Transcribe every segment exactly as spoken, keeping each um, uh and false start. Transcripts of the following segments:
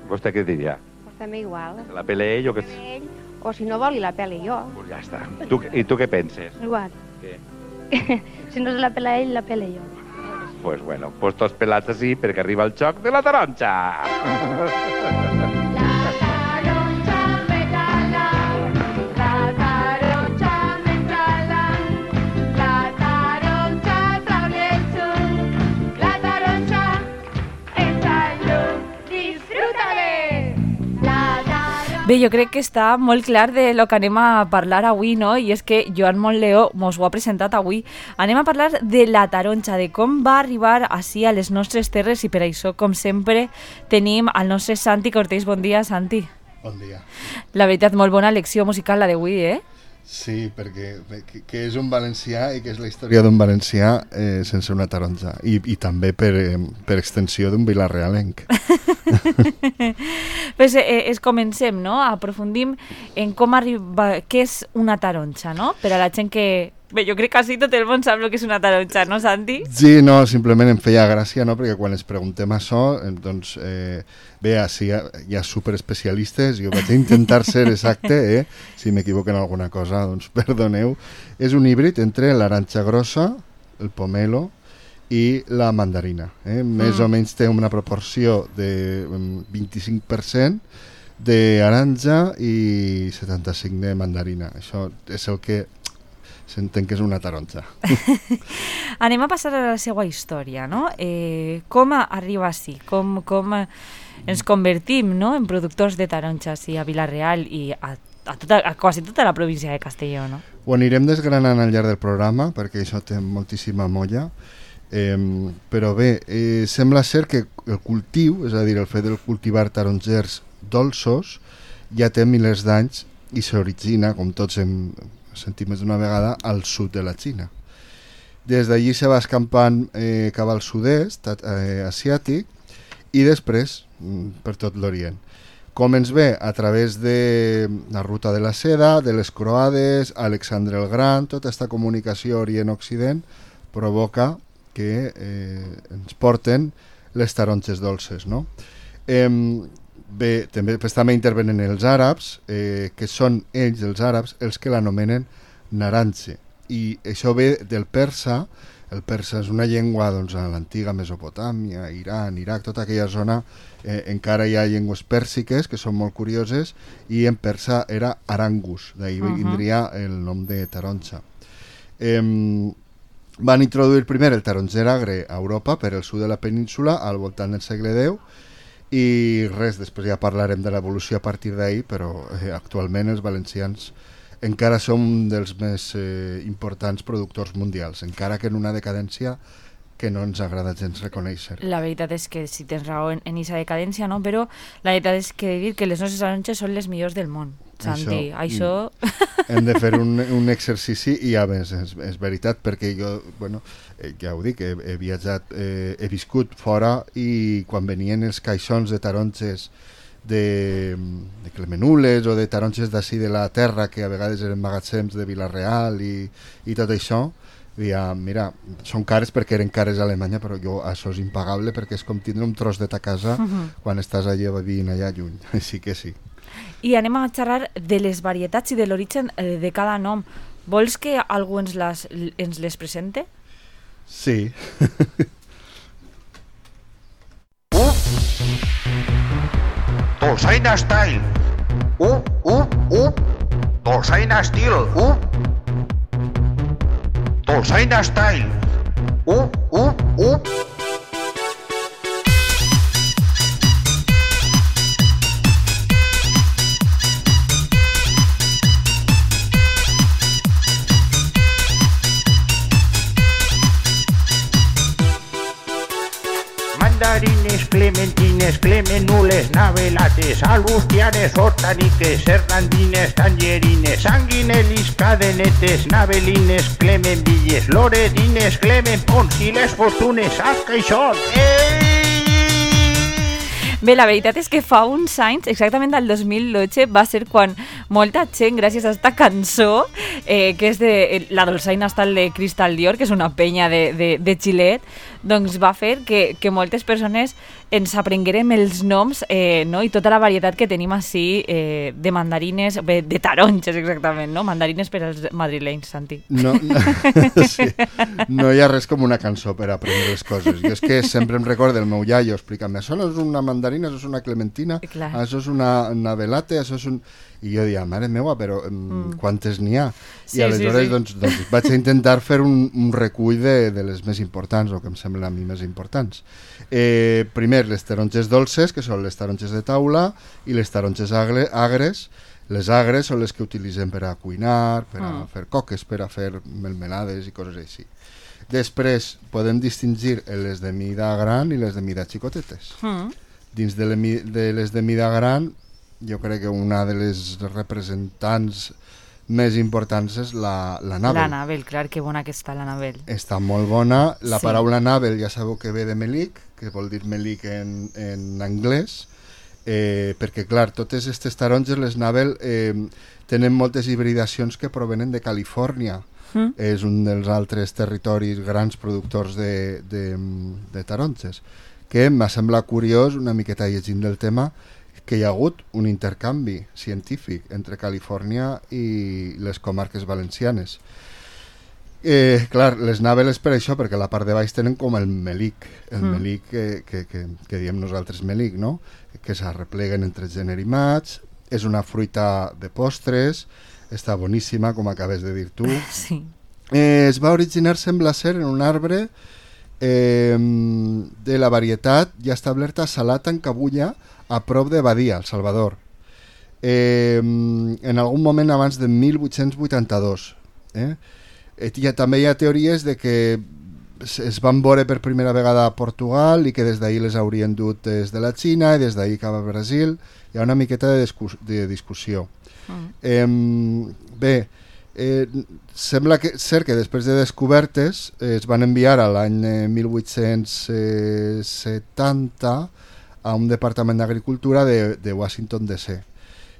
¿Vostè què diria? Pues també igual. La pele ell o que... Ell, o si no vol, i la pele jo. Pues ja està. Tu, I tu què penses? Igual. Què? Si no se la pela ell, la pele jo. Pues bueno, pues tots pelats així perquè arriba el xoc de la taronja. Bé, jo crec que està molt clar de lo que anem a parlar avui, no? I és que Joan Montleo mos ho ha presentat avui. Anem a parlar de la taronja, de com va arribar així a les nostres terres i per això, com sempre, tenim al nostre Santi Cortés. Bon dia, Santi. Bon dia. La veritat, molt bona lecció musical la d'avui, eh? Sí, perquè que, que és un valencià i que és la història d'un valencià eh, sense una taronja i, i també per, eh, per extensió d'un vilarealenc. Pues eh, es comencem, no? Aprofundim en com arriba, què és una taronja, no? Per a la gent que... Bé, jo crec que quasi tot el món sap el que és una taronja, no, Santi? Sí, no, simplement em feia gràcia, no?, perquè quan es preguntem això, doncs, eh, bé, així hi ha, hi ha superespecialistes, jo vaig intentar ser exacte, eh? Si m'equivoco en alguna cosa, doncs perdoneu. És un híbrid entre l'aranja grossa, el pomelo i la mandarina. Eh? Més mm. o menys té una proporció de vint-i-cinc per cent d'aranja i setanta-cinc per cent de mandarina. Això és el que s'entén que és una taronja. Anem a passar a la seva història, no? Eh, com arriba així? Com, com ens convertim, no?, en productors de taronges a Vila-real i a, a, tota, a quasi tota la província de Castelló, no? Ho anirem desgranant al llarg del programa perquè això té moltíssima molla, eh, però bé, eh, sembla ser que el cultiu, és a dir, el fet de cultivar tarongers dolços, ja té milers d'anys i s'origina, com tots hem sentit més d'una vegada, al sud de la Xina. Des d'allí se va escampant eh, cap al sud-est eh, asiàtic i després per tot l'Orient. Com ens ve? A través de la ruta de la seda, de les croades, Alexandre el Gran, tota aquesta comunicació Orient-Occident provoca que eh, ens porten les taronges dolces, no? Eh, Bé, també, pues, també intervenen els àrabs, eh, que són ells, els àrabs, els que l'anomenen naranje. I això ve del persa. El persa és una llengua, doncs, a l'antiga Mesopotàmia, Iran, Iraq, tota aquella zona, eh, encara hi ha llengües pèrsiques que són molt curioses, i en persa era arangus, d'ahir uh-huh. vindria el nom de taronja. Eh, van introduir primer el taronger agre a Europa, per el sud de la península, al voltant del segle deu, i res, després ja parlarem de l'evolució a partir d'ahir, però eh, actualment els valencians encara som dels més eh, importants productors mundials, encara que en una decadència que no ens agrada gens reconèixer. La veritat és que sí, tens raó en aquesta decadència, no? Però la veritat és que dir que les nostres taronges són les millors del món, Santi. Això... això... Hem de fer un, un exercici i a més, és, és veritat, perquè jo, bueno, eh, ja ho dic, he, he viatjat, eh, he viscut fora i quan venien els caixons de taronges de, de Clemenules o de taronges d'ací de la terra, que a vegades eren magatzems de Vila-real i, i tot això, ja, mira, són cares perquè eren cares a Alemanya, però jo això és impagable perquè és com tindre un tros de ta casa uh-huh. quan estàs allà vivint allà lluny, així que sí. I anem a xerrar de les varietats i de l'origen de cada nom. Vols que algú ens les, ens les presente? Sí. Uh! Dolçaina Style! Uh, uh, uh! Dolçaina Style! Uh! Dolçaina Style! Uh, uh, uh! Mandarines, clementines, clemenules, navelates, alustianes, hortaniques, hernandines, tangerines, sanguinelis, cadenetes, navelines, clemenvilles, loretines, clemenpons i les fortunes, saps que hi són? Ei! Bé, la veritat és que fa uns anys, exactament del dos mil dotze, va ser quan molta gent, gràcies a aquesta cançó, eh, que és de la dolçaina Style de Crystal Dior, que és una penya de, de, de xilet, doncs va fer que, que moltes persones ens aprenguérem els noms eh, no? I tota la varietat que tenim així eh, de mandarines, bé, de taronges exactament, no? Mandarines per als madrilenys, Santi. No, no, sí. No hi ha res com una cançó per aprendre les coses. Jo és que sempre em recordo el meu iaio explicant-me, això no és una mandarina, això és una clementina, Clar. això és una, una velate, això és un... I jo deia, mare meva, però mm. quantes n'hi ha? Sí, I aleshores sí, sí. doncs, doncs vaig intentar fer un, un recull de, de les més importants, o que em semblen a mi més importants. Eh, primer, les taronges dolces, que són les taronges de taula, i les taronges agre, agres. Les agres són les que utilitzem per a cuinar, per a mm. fer coques, per a fer melmelades i coses així. Després podem distingir les de mida gran i les de mida xicotetes. Mm. Dins de, le, de les de mida gran, jo crec que una de les representants més importants és la, la Nabel. La Nabel, clar, que bona que està la Nabel. Està molt bona. La sí. paraula Nabel ja sabeu que ve de melic, que vol dir melic en, en anglès, eh, perquè clar, totes aquestes taronges, les Nabel, eh, tenen moltes hibridacions que provenen de Califòrnia. Mm. És un dels altres territoris grans productors de, de, de taronges, que m'ha semblat curiós, una miqueta llegint del tema, que hi ha hagut un intercanvi científic entre Califòrnia i les comarques valencianes. Eh, clar, les Nabel és per això, perquè la part de baix tenen com el melic, el mm. melic que, que, que, que diem nosaltres melic, no? Que s'arrepleguen entre gener i maig, és una fruita de postres, està boníssima, com acabes de dir tu. Sí. Eh, es va originar, sembla ser, en un arbre eh, de la varietat ja establerta a Salat en Cabulla, a prop de Badia, al Salvador, eh, en algun moment abans de mil vuit-cents vuitanta-dos. Eh? Eh, ha, també hi ha teories de que es van veure per primera vegada a Portugal i que des d'ahir les haurien dut des de la Xina i des d'ahir cap a Brasil. Hi ha una miqueta de, discus de discussió. Mm. Eh, bé, eh, sembla que, ser que després de descobertes eh, es van enviar a l'any eh, mil vuit-cents setanta a un departament d'agricultura de, de Washington D C.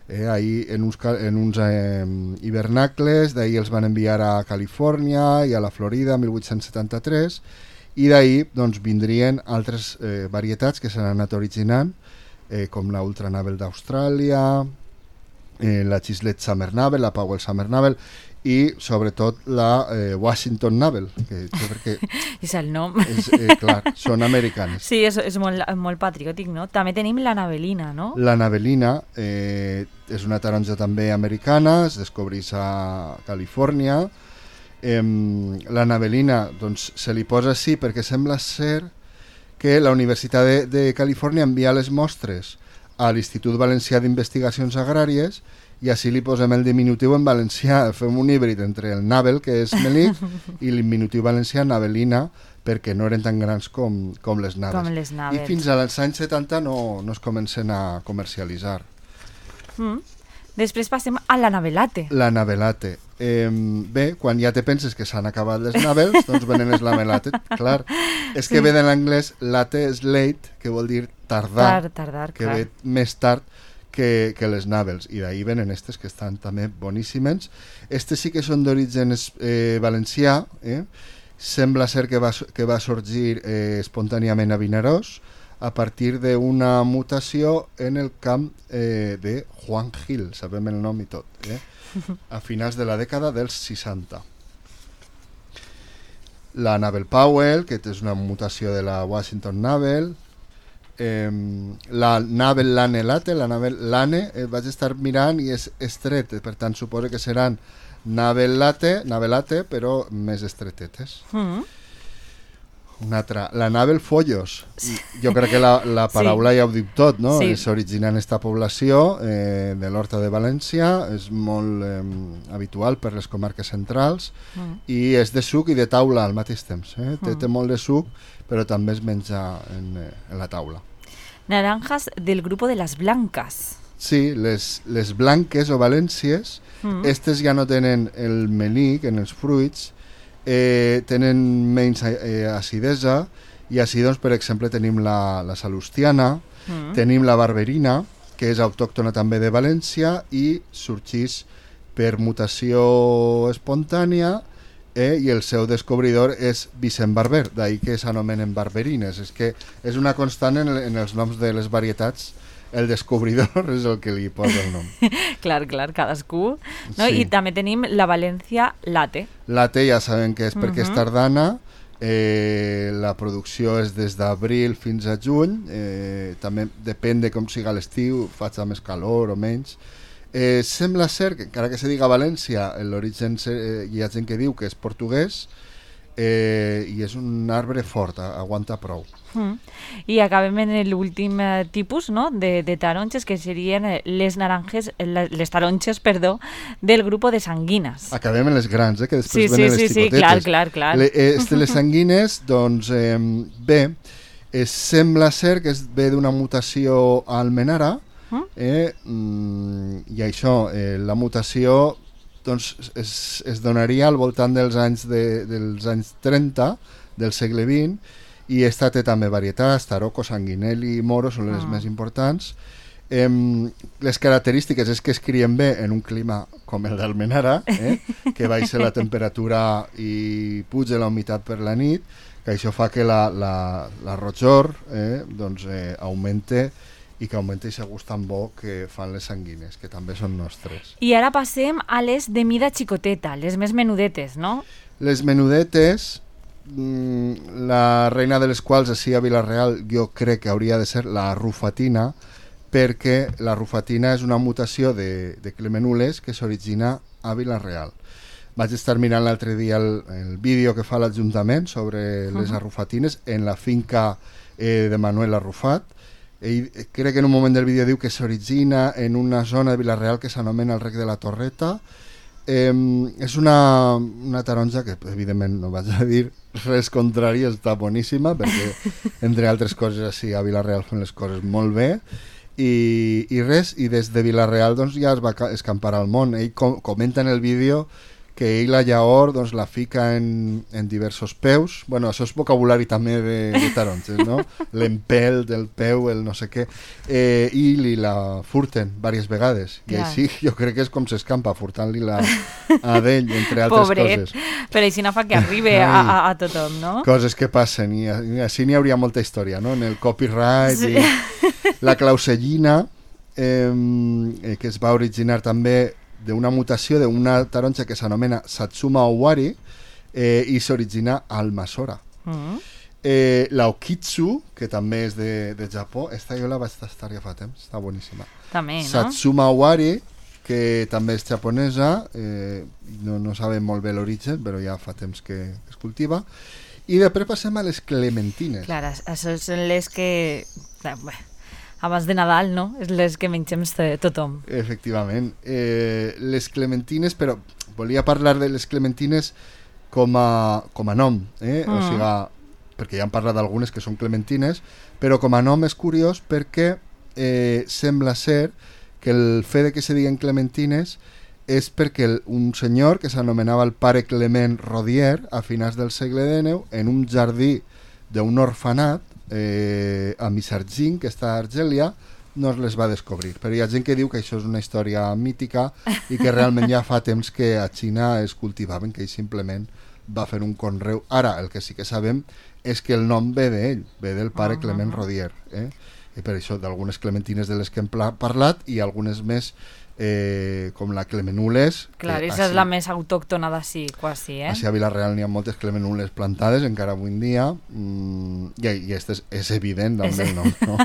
Eh, ahí en uns, en uns eh, hivernacles, d'ahí els van enviar a Califòrnia i a la Florida mil vuit-cents setanta-tres, i d'ahí doncs, vindrien altres eh, varietats que s'han anat originant, eh, com la Ultra Nabel d'Austràlia, eh, la Chislet Summer Nabel, la Powell Summer Nabel, i sobretot la eh, Washington Nabel, que jo crec que és el nom. És, eh, clar, són americanes. Sí, és, és molt, molt patriòtic, no? També tenim la Nabelina, no? La Nabelina eh, és una taronja també americana, es descobreix a Califòrnia. Eh, la Nabelina doncs, se li posa així perquè sembla ser que la Universitat de, de Califòrnia envia les mostres a l'Institut Valencià d'Investigacions Agràries i així li posem el diminutiu en valencià, fem un híbrid entre el Nabel, que és melic, i el diminutiu valencià Nabelina, perquè no eren tan grans com, com les Nabels. Com les Nabels. I fins als anys setanta no, no es comencen a comercialitzar. Mm. Després passem a la Nabelate. La Nabelate. Eh, bé, quan ja te penses que s'han acabat les Nabels, doncs venen les Nabelate. Clar, és que ve de l'anglès late és late, que vol dir tardar, Tard, tardar que clar. ve més tard que, que les Nabels, i d'ahir venen aquestes que estan també boníssimes. Estes sí que són d'origen eh, valencià, eh? Sembla ser que va, que va sorgir eh, espontàniament a Vinaròs a partir d'una mutació en el camp eh, de Juan Gil, sabem el nom i tot, eh? A finals de la dècada dels seixanta. La Nabel Powell, que és una mutació de la Washington Nabel. Eh, la Nabel Lane Late, la Nabel Lane, eh, vaig estar mirant i és estret, per tant suposo que seran Nabel Late, Nabel Late, però més estretetes. Mm. Una altra, la Nabel Follos. Jo crec que la, la paraula sí. Ja ho diu tot, no? Sí. S'origina en esta població eh, de l'Horta de València, és molt eh, habitual per les comarques centrals mm. i és de suc i de taula al mateix temps. Eh? Mm. Té, té molt de suc, però també es menja en, eh, en la taula. Naranjas del grupo de las blancas. Sí, les, les blanques o valències, mm. estes ja no tenen el melic en els fruits, eh, tenen menys eh, acidesa, i així, doncs, per exemple, tenim la, la salustiana, mm. tenim la barberina, que és autòctona també de València i sorgeix per mutació espontània eh, i el seu descobridor és Vicent Barber, d'ahir que s'anomenen barberines. És que és una constant en, en els noms de les varietats. El descobridor és el que li posa el nom. Clar, clar, cadascú. No? Sí. I també tenim la València Latte. Latte ja sabem que és perquè Mhm. és tardana, eh, la producció és des d'abril fins a juny, eh, també depèn de com siga l'estiu, faig més calor o menys. Eh, sembla ser que, encara que se diga València, l'origen eh, hi ha gent que diu que és portuguès, eh, i és un arbre fort, aguanta prou. Mm. I acabem en l'últim eh, tipus, no?, de, de taronges, que serien eh, les naranjes, eh, les taronges, perdó, del grup de sanguines. Acabem en les grans, eh, que Sí, després sí, venen sí, les sí, xicotetes. clar, clar, clar. Le, eh, este, les sanguines, doncs, eh, bé, eh, sembla ser que es ve d'una mutació a Almenara, eh, mm, i això, eh, la mutació doncs, es, es donaria al voltant dels anys, de, dels anys trenta del segle vint, i esta té també varietats, Tarocco, Sanguinelli i Moro són les Ah. més importants. Eh, les característiques és que es crien bé en un clima com el d'Almenara, eh, que baixa la temperatura i puja la humitat per la nit, que això fa que la, la, la rojor eh, doncs, eh, augmente, i que augmenta aquest gust tan bo que fan les sanguines, que també són nostres. I ara passem a les de mida xicoteta, les més menudetes, no? Les menudetes, mmm, la reina de les quals així a Vila-real jo crec que hauria de ser la rufatina, perquè la rufatina és una mutació de, de clemenules que s'origina a Vila-real. Vaig estar mirant l'altre dia el, el vídeo que fa l'Ajuntament sobre les Uh-huh. arrufatines en la finca eh, de Manuel Arrufat. Ell, crec que en un moment del vídeo diu que s'origina en una zona de Vila-real que s'anomena el Rec de la Torreta. Eh, és una, una taronja que evidentment no vaig a dir res contrari, està boníssima, perquè entre altres coses així a Vila-real fan les coses molt bé, i, i res, i des de Vila-real doncs, ja es va ca- escampar al món. Ell com, comenta en el vídeo que ell la llaor doncs, la fica en, en diversos peus. Bueno, això és vocabulari també de, de taronges, no? L'empel del peu, el no sé què, eh, i li la furten diverses vegades. I Clar. així jo crec que és com s'escampa, furtant-li la a d'ell, entre altres Pobret, coses. però així no fa que arribi a, a, a tothom, no? Coses que passen, i, i així n'hi hauria molta història, no? En el copyright, Sí. i la clausellina, eh, eh, que es va originar també d'una mutació d'una taronja que s'anomena Satsuma Owari, eh, i s'origina al Masora. Mm. Eh, la Okitsu, que també és de, de Japó, esta jo la vaig tastar ja fa temps, està boníssima. També, no? Satsuma Owari, que també és japonesa, eh, no, no sabem molt bé l'origen, però ja fa temps que es cultiva. I després passem a les clementines. Clar, això són les que... Bé, abans de Nadal, no? És les que mengem tothom. Efectivament. Eh, les clementines, però volia parlar de les clementines com a, com a nom, eh? Mm. O sigui, perquè ja hem parlat d'algunes que són clementines, però com a nom és curiós perquè eh, sembla ser que el fet de que se diguen clementines és perquè el, un senyor que s'anomenava el pare Clement Rodier a finals del segle dinou, en un jardí d'un orfanat eh, a Misargin, que està a Argèlia, no es les va descobrir. Però hi ha gent que diu que això és una història mítica i que realment ja fa temps que a Xina es cultivaven, que ell simplement va fer un conreu. Ara, el que sí que sabem és que el nom ve d'ell, ve del pare Ah. Clement Rodier. Eh? I per això d'algunes clementines de les que hem pla- parlat i algunes més eh, com la Clemenules. Clar, que aquesta és així- la més autòctona d'ací, quasi, eh? Així a Vila-real n'hi ha moltes clemenules plantades encara avui en dia, mm, i, i este és, és evident d'on És- ve el nom, no?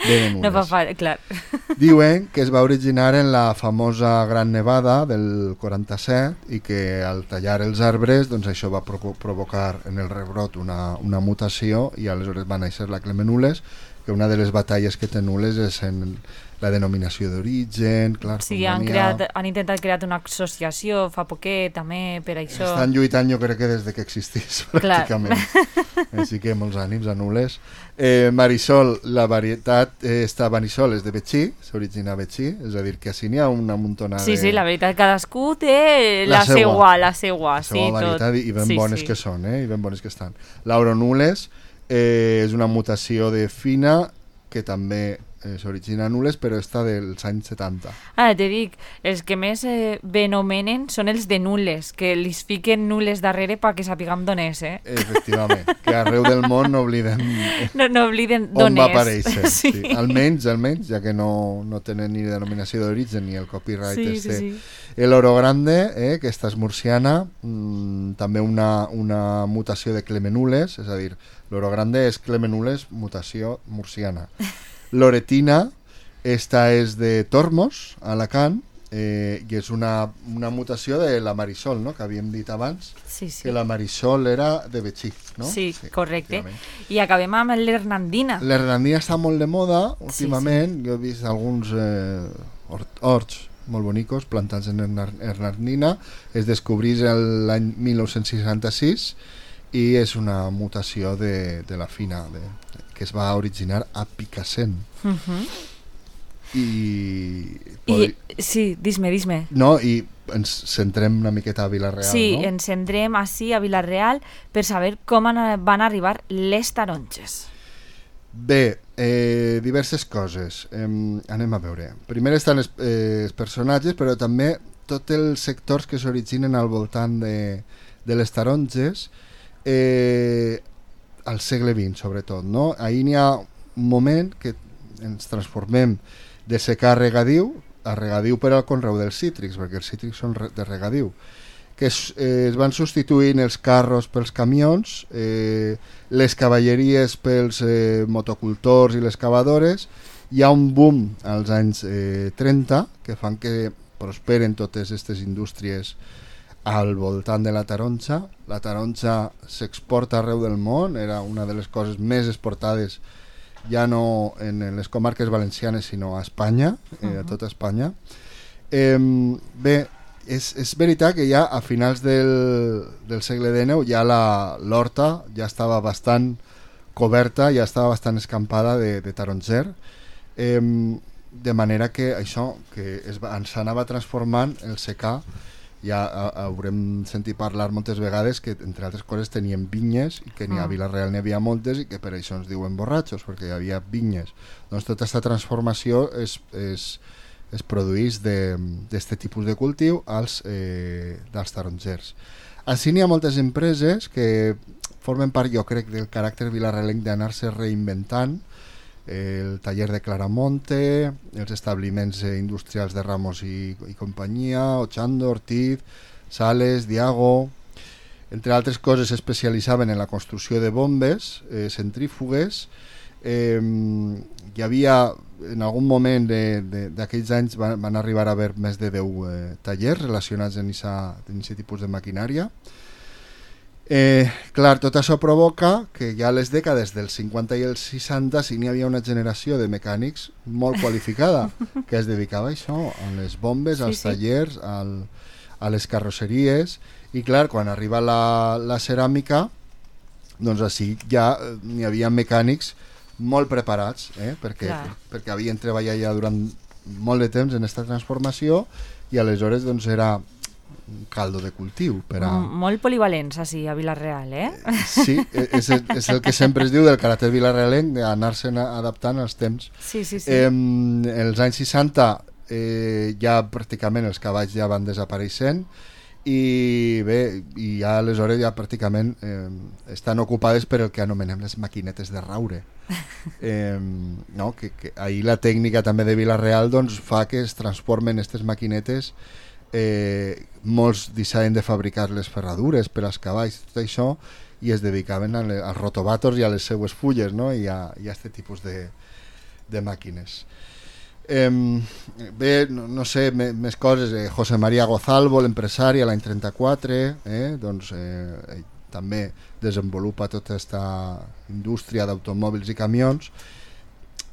Venen No fa unes. fa... Clar. Diuen que es va originar en la famosa Gran Nevada del quaranta-set i que al tallar els arbres doncs això va provo provocar en el rebrot una, una mutació i aleshores va néixer la Clemenules, que una de les batalles que té nules és en la denominació d'origen, clar, Sí, com han, n'hi ha- creat, han intentat crear una associació fa poquet, també, per això. Estan lluitant jo crec que des de que existís Clar. pràcticament. Així que molts ànims a nules. Eh, Marisol, la varietat eh, està Marisol, és de Betxí, s'origina a Betxí, és a dir, que així n'hi ha una muntona Sí, de... sí, la veritat, cadascú té La la, seua. seua, la seua, la sí, seva tot. varietat i ben sí, bones sí. que són, eh? I ben bones que estan. L'auronules eh, és una mutació de fina que també eh, s'origina a Nules, però està dels anys setanta. Ah, te dic, els que més eh, benomenen són els de Nules, que li fiquen Nules darrere perquè sapiguem d'on és, eh? Efectivament, que arreu del món no oblidem No, no obliden on d'on va és. aparèixer. Sí. Sí. Almenys, almenys, ja que no, no tenen ni denominació d'origen ni el copyright Sí, este. sí, sí. El Oro Grande, eh, que esta és murciana, mmm, també una, una mutació de Clemenules, és a dir, l'Oro Grande és Clemenules, mutació murciana. Loretina, esta és de Tormos, a Alacant, eh, i és una, una mutació de la Marisol, no?, que havíem dit abans, Sí, sí. que la Marisol era de Betxí, no? Sí, correcte. efectivament. I acabem amb l'Hernandina. L'Hernandina està molt de moda últimament, sí, sí. Jo he vist alguns eh, hort horts molt bonicos plantats en Hernandina, es descobrís l'any mil nou-cents seixanta-sis i és una mutació de, de la fina, de, que es va originar a Picassent. Uh -huh. I, I sí, dis-me, dis-me. No, i ens centrem una miqueta a Vila-real, sí, no? ens centrem així a Vila-real per saber com van arribar les taronges. Bé, eh, diverses coses. Eh, anem a veure. Primer estan els, eh, els personatges, però també tots els sectors que s'originen al voltant de, de les taronges, eh, al segle vint, sobretot, no? Ahir n'hi ha un moment que ens transformem de secà a regadiu, a regadiu per al conreu dels cítrics, perquè els cítrics són de regadiu, que es, eh, es van substituint els carros pels camions, eh, les cavalleries pels eh, motocultors i les cavadores. Hi ha un boom als anys eh, trenta que fan que prosperen totes aquestes indústries al voltant de la taronja. La taronja s'exporta arreu del món, era una de les coses més exportades ja no en les comarques valencianes sinó a Espanya, eh, a tota Espanya. Eh, bé, és, és veritat que ja a finals del, del segle dinou ja l'horta ja estava bastant coberta, ja estava bastant escampada de, de taronger, eh, de manera que això que es, ens anava transformant el secà. Ja a, haurem sentit parlar moltes vegades que entre altres coses tenien vinyes i que ni a Vila-real n'hi havia moltes i que per això ens diuen borratxos, perquè hi havia vinyes. Doncs tota aquesta transformació es, es, es produeix d'aquest tipus de cultiu als, eh, dels tarongers. Així n'hi ha moltes empreses que formen part, jo crec, del caràcter vilarrealenc d'anar-se reinventant, el taller de Claramonte, els establiments industrials de Ramos i, i companyia, Ochando, Ortiz, Sales, Diago. Entre altres coses s'especialitzaven en la construcció de bombes, eh, centrífugues. Eh, hi havia, en algun moment d'aquells anys van, van arribar a haver més de deu eh, tallers relacionats amb aquest tipus de maquinària. Eh, clar, tot això provoca que ja a les dècades dels cinquanta i els seixanta sí n'hi havia una generació de mecànics molt qualificada que es dedicava a això, a les bombes, sí, als tallers, al, a les carrosseries, i clar, quan arriba la, la ceràmica, doncs així ja n'hi havia mecànics molt preparats, eh? perquè, perquè havien treballat ja durant molt de temps en aquesta transformació i aleshores doncs era un caldo de cultiu per a... Molt polivalents així a Vila-real, eh? Sí, és, és el que sempre es diu del caràcter vilarrealenc, d'anar-se adaptant als temps. Sí, sí, sí. Eh, els anys seixanta eh, ja pràcticament els cavalls ja van desapareixent i bé, i ja aleshores ja pràcticament eh, estan ocupades per el que anomenem les maquinetes de raure. Eh, no? que, que ahir la tècnica també de Vila-real doncs, fa que es transformen aquestes maquinetes. Eh, molts deixaven de fabricar les ferradures per als cavalls, tot això, i es dedicaven a le, als rotobàtors i a les seues fulles, no? i a aquest tipus de, de màquines. Eh, bé, no, no sé, me, més coses. eh, José María Gozalvo, l'empresari, a l'any trenta-quatre, eh, doncs, eh, també desenvolupa tota aquesta indústria d'automòbils i camions.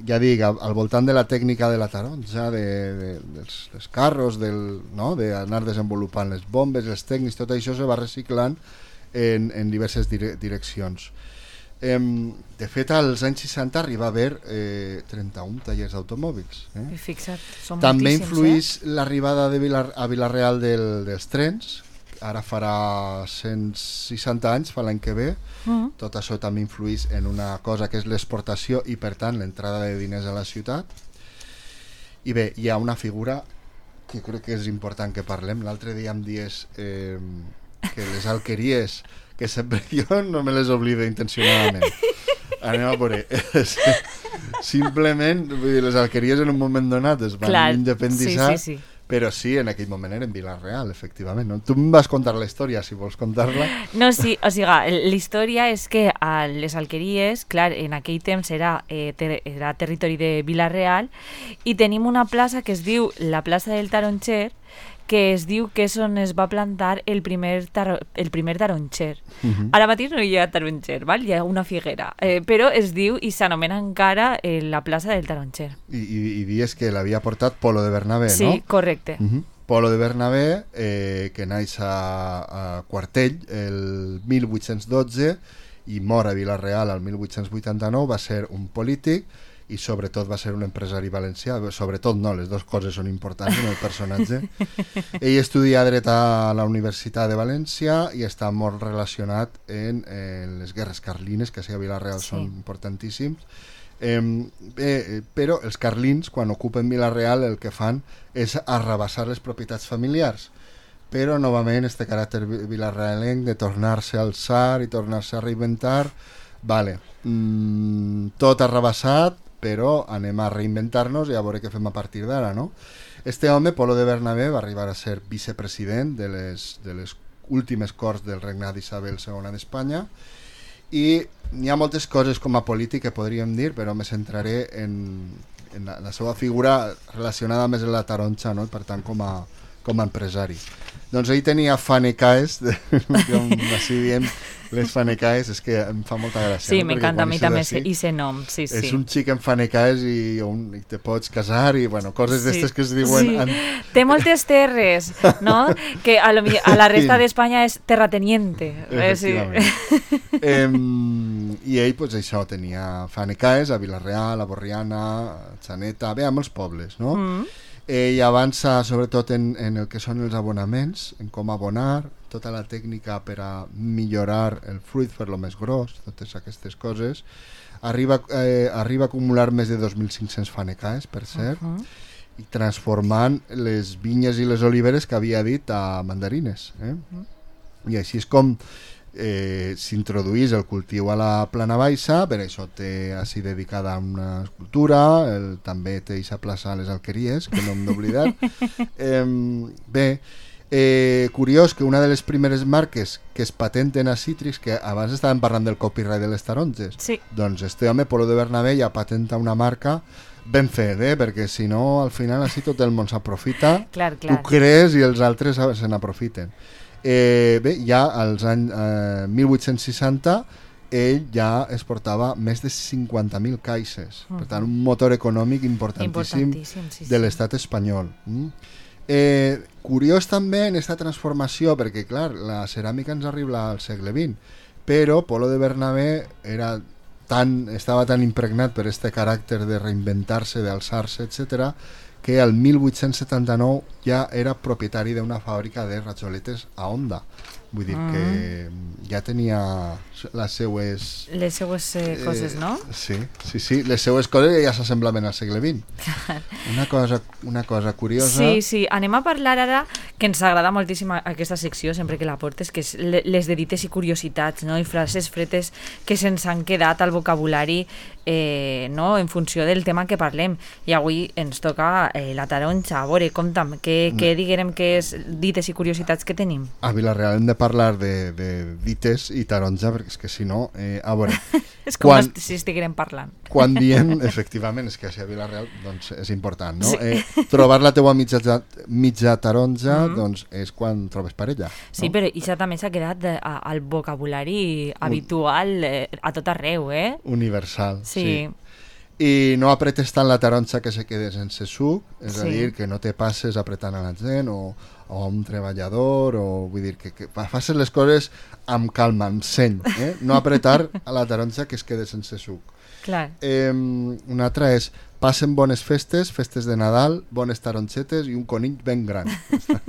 Ja dic, al, al voltant de la tècnica de la taronja, de, de, dels, dels carros, del, no? d'anar desenvolupant les bombes, els tècnics, tot això se va reciclant en, en diverses dire, direccions. Eh, de fet, als anys seixanta arriba a haver eh, trenta-un tallers d'automòbils. Eh? Fixa't, són També moltíssims, influeix eh? l'arribada de Vilar, a Vila-real del, dels trens, ara farà cent seixanta anys, fa l'any que ve. Uh-huh. Tot això també influeix en una cosa que és l'exportació i, per tant, l'entrada de diners a la ciutat. I bé, hi ha una figura que crec que és important que parlem. L'altre dia em dies eh, que les alqueries, que sempre jo no me les oblido intencionadament. Anem a veure. Simplement, vull dir, les alqueries en un moment donat es van Clar, independitzar, sí, sí, sí. Però sí, en aquell moment era en Vila-real, efectivament. No? Tu em vas contar la història, si vols contar-la. No, sí, o sigui, la història és que a les alqueries, clar, en aquell temps era, eh, ter era territori de Vila-real i tenim una plaça que es diu la plaça del Taronxer, que es diu que és on es va plantar el primer, tar el primer taronxer. Uh-huh. Ara mateix no hi ha taronxer, val? Hi ha una figuera, eh, però es diu i s'anomena encara eh, la plaça del Taronxer. I, i, i dius que l'havia portat Polo de Bernabé, sí, no? Sí, correcte. Uh-huh. Polo de Bernabé, eh, que naix a, a Quartell el mil vuit-cents dotze i mor a Vila-real el mil vuit-cents vuitanta-nou, va ser un polític i sobretot va ser un empresari valencià. Sobretot no, les dues coses són importants en el personatge. Ell estudia dret a la Universitat de València i està molt relacionat en, en les guerres carlines, que a Vila-real sí. Són importantíssims. Eh, eh, però els carlins, quan ocupen Vila-real, el que fan és arrabassar les propietats familiars. Però novament este caràcter vilarrealenc de tornar-se a alçar i tornar-se a reinventar, vale, mm, tot arrabassat, però anem a reinventar-nos i a veure què fem a partir d'ara, no? Este home, Polo de Bernabé, va arribar a ser vicepresident de les, de les últimes corts del regnat d'Isabel segona d'Espanya i hi ha moltes coses com a polític que podríem dir, però me centraré en, en la, la seva figura relacionada més amb la taronxa, no? Per tant, com a, com a empresari. Doncs ell tenia fanecaes, com així diem, les fanecaes, és que em fa molta gràcia. Sí, no? m'encanta a mi també i se nom, sí, sí. És un xic en fanecaes i, un, i te pots casar i, bueno, coses sí. d'estes que es diuen... Sí. En... Té moltes terres, no? Que a, lo, a la resta sí. d'Espanya és terrateniente. Efectivament. Eh, sí. eh, I ell, pues, això, tenia fanecaes a Vila-real, a Borriana, a Xaneta, bé, a molts pobles, no? Mm. Ell avança sobretot en, en el que són els abonaments, en com abonar, tota la tècnica per a millorar el fruit, fer-lo més gros, totes aquestes coses. Arriba, eh, arriba a acumular més de dos mil cinc-cents fanecaes, per cert, uh -huh. i transformant les vinyes i les oliveres que havia dit a mandarines. Eh? Uh -huh. I així és com eh, s'introduís el cultiu a la plana baixa, per això té així dedicada a una escultura, el, també té aquesta plaça a les alqueries, que no hem d'oblidar. eh, bé, eh, curiós que una de les primeres marques que es patenten a Citrix, que abans estàvem parlant del copyright de les taronges, sí. Doncs este home, Polo de Bernabé, ja patenta una marca ben fet, eh? Perquè si no, al final així tot el món s'aprofita, clar, clar. Tu crees i els altres se n'aprofiten. Eh, bé, ja als anys eh, mil vuit-cents seixanta ell ja exportava més de cinquanta mil caixes, uh-huh. Per tant un motor econòmic importantíssim, importantíssim sí, de l'estat sí. espanyol. Mm? Eh, curiós també en aquesta transformació, perquè clar, la ceràmica ens arriba al segle vint, però Polo de Bernabé era tan, estava tan impregnat per este caràcter de reinventar-se, d'alçar-se, etcètera, que al mil vuit-cents setanta-nou ja era propietari d'una fàbrica de rajoletes a Honda. Vull dir mm. que ja tenia les seues... Les seues eh, coses, eh, no? Sí, sí, sí, les seues coses ja s'assemblaven al segle vint. Una cosa, una cosa curiosa... Sí, sí, anem a parlar ara, que ens agrada moltíssim aquesta secció, sempre que la portes, que és les de dites i curiositats, no? I frases fretes que se'ns han quedat al vocabulari eh, no? En funció del tema que parlem. I avui ens toca eh, la taronja. A veure, compta'm, què, què diguem que és dites i curiositats que tenim? A Vila-real hem de parlar de, de dites i taronja, perquè és que si no, eh, a veure... és com quan, si estiguérem parlant. Quan diem, efectivament, és que si a Vila-real doncs, és important, no? Sí. Eh, trobar la teua mitja, mitja taronja mm -hmm. doncs és quan trobes parella. Sí, no? Però això també s'ha quedat de, a, al vocabulari habitual eh, a tot arreu, eh? Universal, sí. sí. I no apretes tant la taronja que se quede sense suc, és sí. a dir, que no te passes apretant a la gent o, o a un treballador, o vull dir que, que facis les coses amb calma, amb seny, eh? No apretar a la taronja que es quede sense suc. Clar. Eh, una altra és, passen bones festes, festes de Nadal, bones taronxetes i un conill ben gran.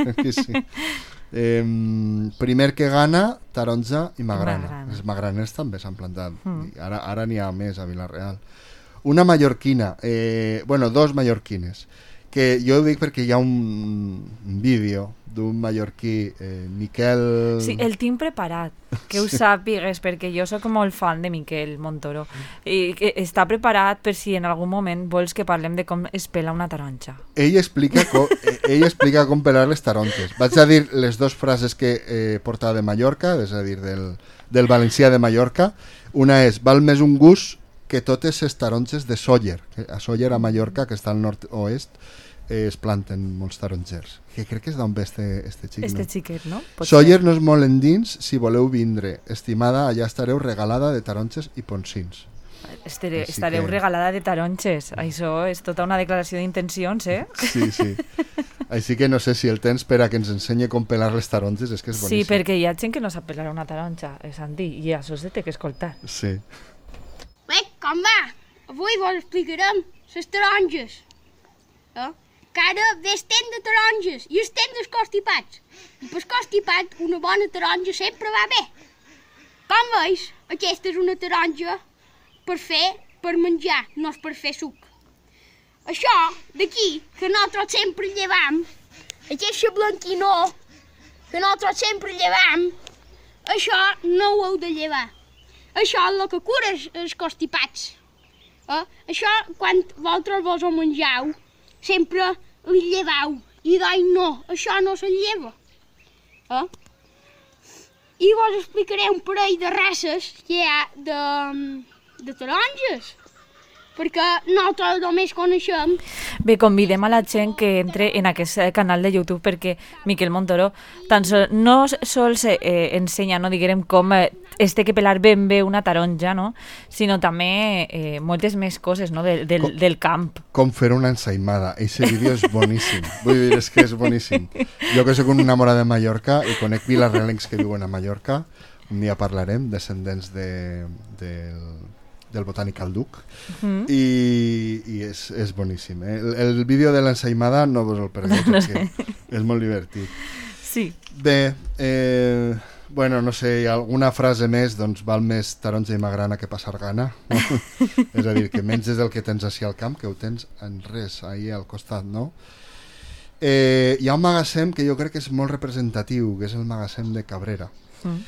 Aquí sí. Eh, primer que gana, taronja i magrana. Magrana. Els magraners també s'han plantat. Mm. I ara ara n'hi ha més a Vila-real. Una mallorquina, eh, bueno, dos mallorquines, que jo ho dic perquè hi ha un, un vídeo d'un mallorquí, eh, Miquel... Sí, el tinc preparat, que ho sàpigues, perquè jo sóc molt fan de Miquel Montoro. I que està preparat per si en algun moment vols que parlem de com es pela una taronja. Ell explica, com, ell explica com pelar les taronges. Vaig a dir les dues frases que eh, porta de Mallorca, és a dir, del, del valencià de Mallorca. Una és, val més un gust que totes les taronges de Sóller. A Sóller, a Mallorca, que està al nord-oest, eh, es planten molts tarongers. Que crec que és d'on ve este, este xic, Este no? xiquet, no? Pot Sóller ser. no és molt endins, si voleu vindre. Estimada, allà estareu regalada de taronges i ponsins. Estaré, Així estareu que- regalada de taronges. Això és tota una declaració d'intencions, eh? Sí, sí. Així que no sé si el tens per a que ens ensenyi com pelar les taronges, és que és Sí, boníssim. perquè hi ha gent que no sap pelar una taronja, eh, Santi, i això se té que escoltar. Sí. Bé, com va? Avui vos explicarem les taronges. Eh? Que ara ve el temps de taronges i el temps dels constipats. I per constipat una bona taronja sempre va bé. Com veus, aquesta és una taronja per fer, per menjar, no és per fer suc. Això d'aquí, que nosaltres sempre llevam, aquesta blanquinó que nosaltres sempre llevam, això no ho heu de llevar. Això és el que cura els, els constipats. Eh? Això, quan vosaltres vos ho mengeu, sempre li lleveu. I d'ai no, això no se lleva. Eh? I vos explicaré un parell de races que hi ha de, de taronges. Perquè nosaltres només coneixem. Bé, convidem a la gent que entre en aquest eh, canal de YouTube perquè Miquel Montoro tan sol, no sols eh, ensenya, no diguem com eh, es té que pelar ben bé una taronja, no? Sinó també eh, moltes més coses, no? Del, del, Com- del camp. Com fer una ensaïmada. Eixe vídeo és boníssim. Vull dir, és que és boníssim. Jo que soc un enamorat de Mallorca i conec vilarrealencs que viuen a Mallorca, un dia parlarem, descendents de, del, del Botanical Duc, Mm. i, i és, és boníssim. Eh? El, el vídeo de l'ensaïmada no vos el perdeu perquè és molt divertit. Sí. Bé, eh, bueno, no sé, hi ha alguna frase més, doncs val més taronja i magrana que passar gana. No? És a dir, que menges el que tens així al camp, que ho tens en res, ahí al costat, no? Eh, hi ha un magatzem que jo crec que és molt representatiu, que és el magatzem de Cabrera. Mm.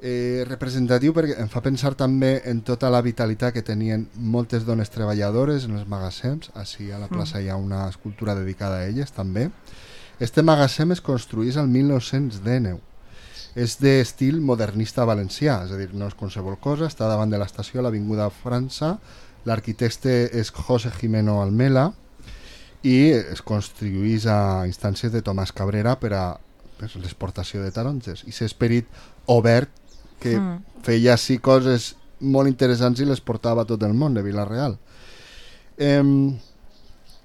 Eh, representatiu perquè em fa pensar també en tota la vitalitat que tenien moltes dones treballadores en els magatzems. Així a la plaça hi ha una escultura dedicada a elles també. Este magatzem es construís al mil nou-cents dinou. És d'estil modernista valencià, és a dir, no és qualsevol cosa, està davant de l'estació a l'Avinguda França, l'arquitecte és José Jimeno Almela i es construís a instàncies de Tomàs Cabrera per a per l'exportació de taronges. I s'esperit obert que Mm. feia així coses molt interessants i les portava a tot el món de Vila-real. Eh,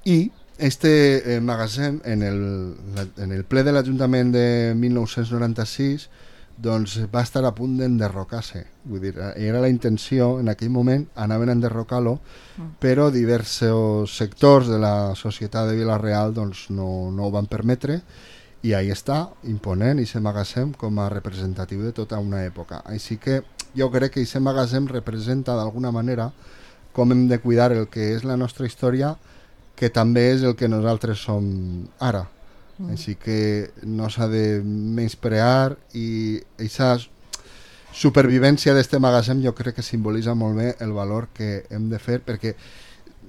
I este eh, magatzem, en el, en el ple de l'Ajuntament de mil nou-cents noranta-sis, doncs va estar a punt d'enderrocar-se. Vull dir, era la intenció, en aquell moment anaven a enderrocar-lo, Mm. però diversos sectors de la societat de Vila-real doncs, no, no ho van permetre, i ahí està, imponent, i se magatzem com a representatiu de tota una època. Així que jo crec que aquest magatzem representa d'alguna manera com hem de cuidar el que és la nostra història, que també és el que nosaltres som ara. Mm. Així que no s'ha de menysprear, i aquesta supervivència d'este magatzem jo crec que simbolitza molt bé el valor que hem de fer, perquè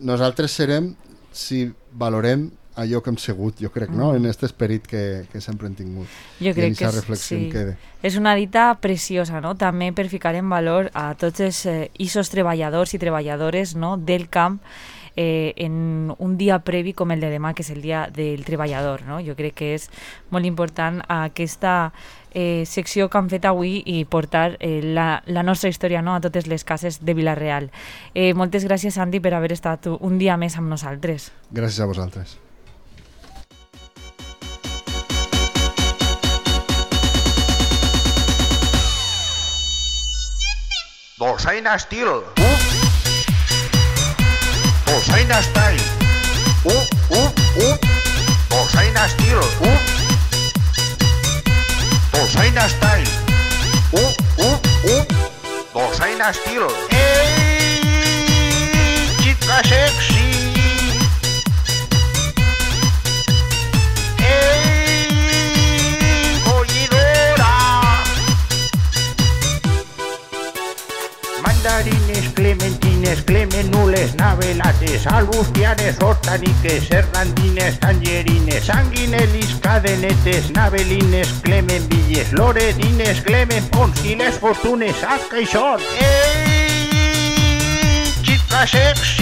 nosaltres serem si valorem allò que hem sigut, jo crec, no? En aquest esperit que, que sempre hem tingut. Jo crec I en que aquesta és, reflexió sí. em quede. És una dita preciosa, no? També per ficar en valor a tots els eh, isos treballadors i treballadores, no? Del camp eh, en un dia previ com el de demà, que és el dia del treballador, no? Jo crec que és molt important aquesta eh, secció que han fet avui i portar eh, la, la nostra història, no? A totes les cases de Vila-real. Eh, moltes gràcies, Santi, per haver estat un dia més amb nosaltres. Gràcies a vosaltres. Dolçaina Estil. Uh. Dolçaina Style. Uh, uh, uh. Dolçaina Estil. Uh. estil. Ei, xica sexy. Ei, collidora. Mandarines, clementines, clemenules, navelates, albustianes, hortaniques, serrandines, tangerines, sanguinelis, cadenetes, navelines, clemenvilles, loredines, clemenpons i les fortunes, saps que hi són? Ei, xica sexy.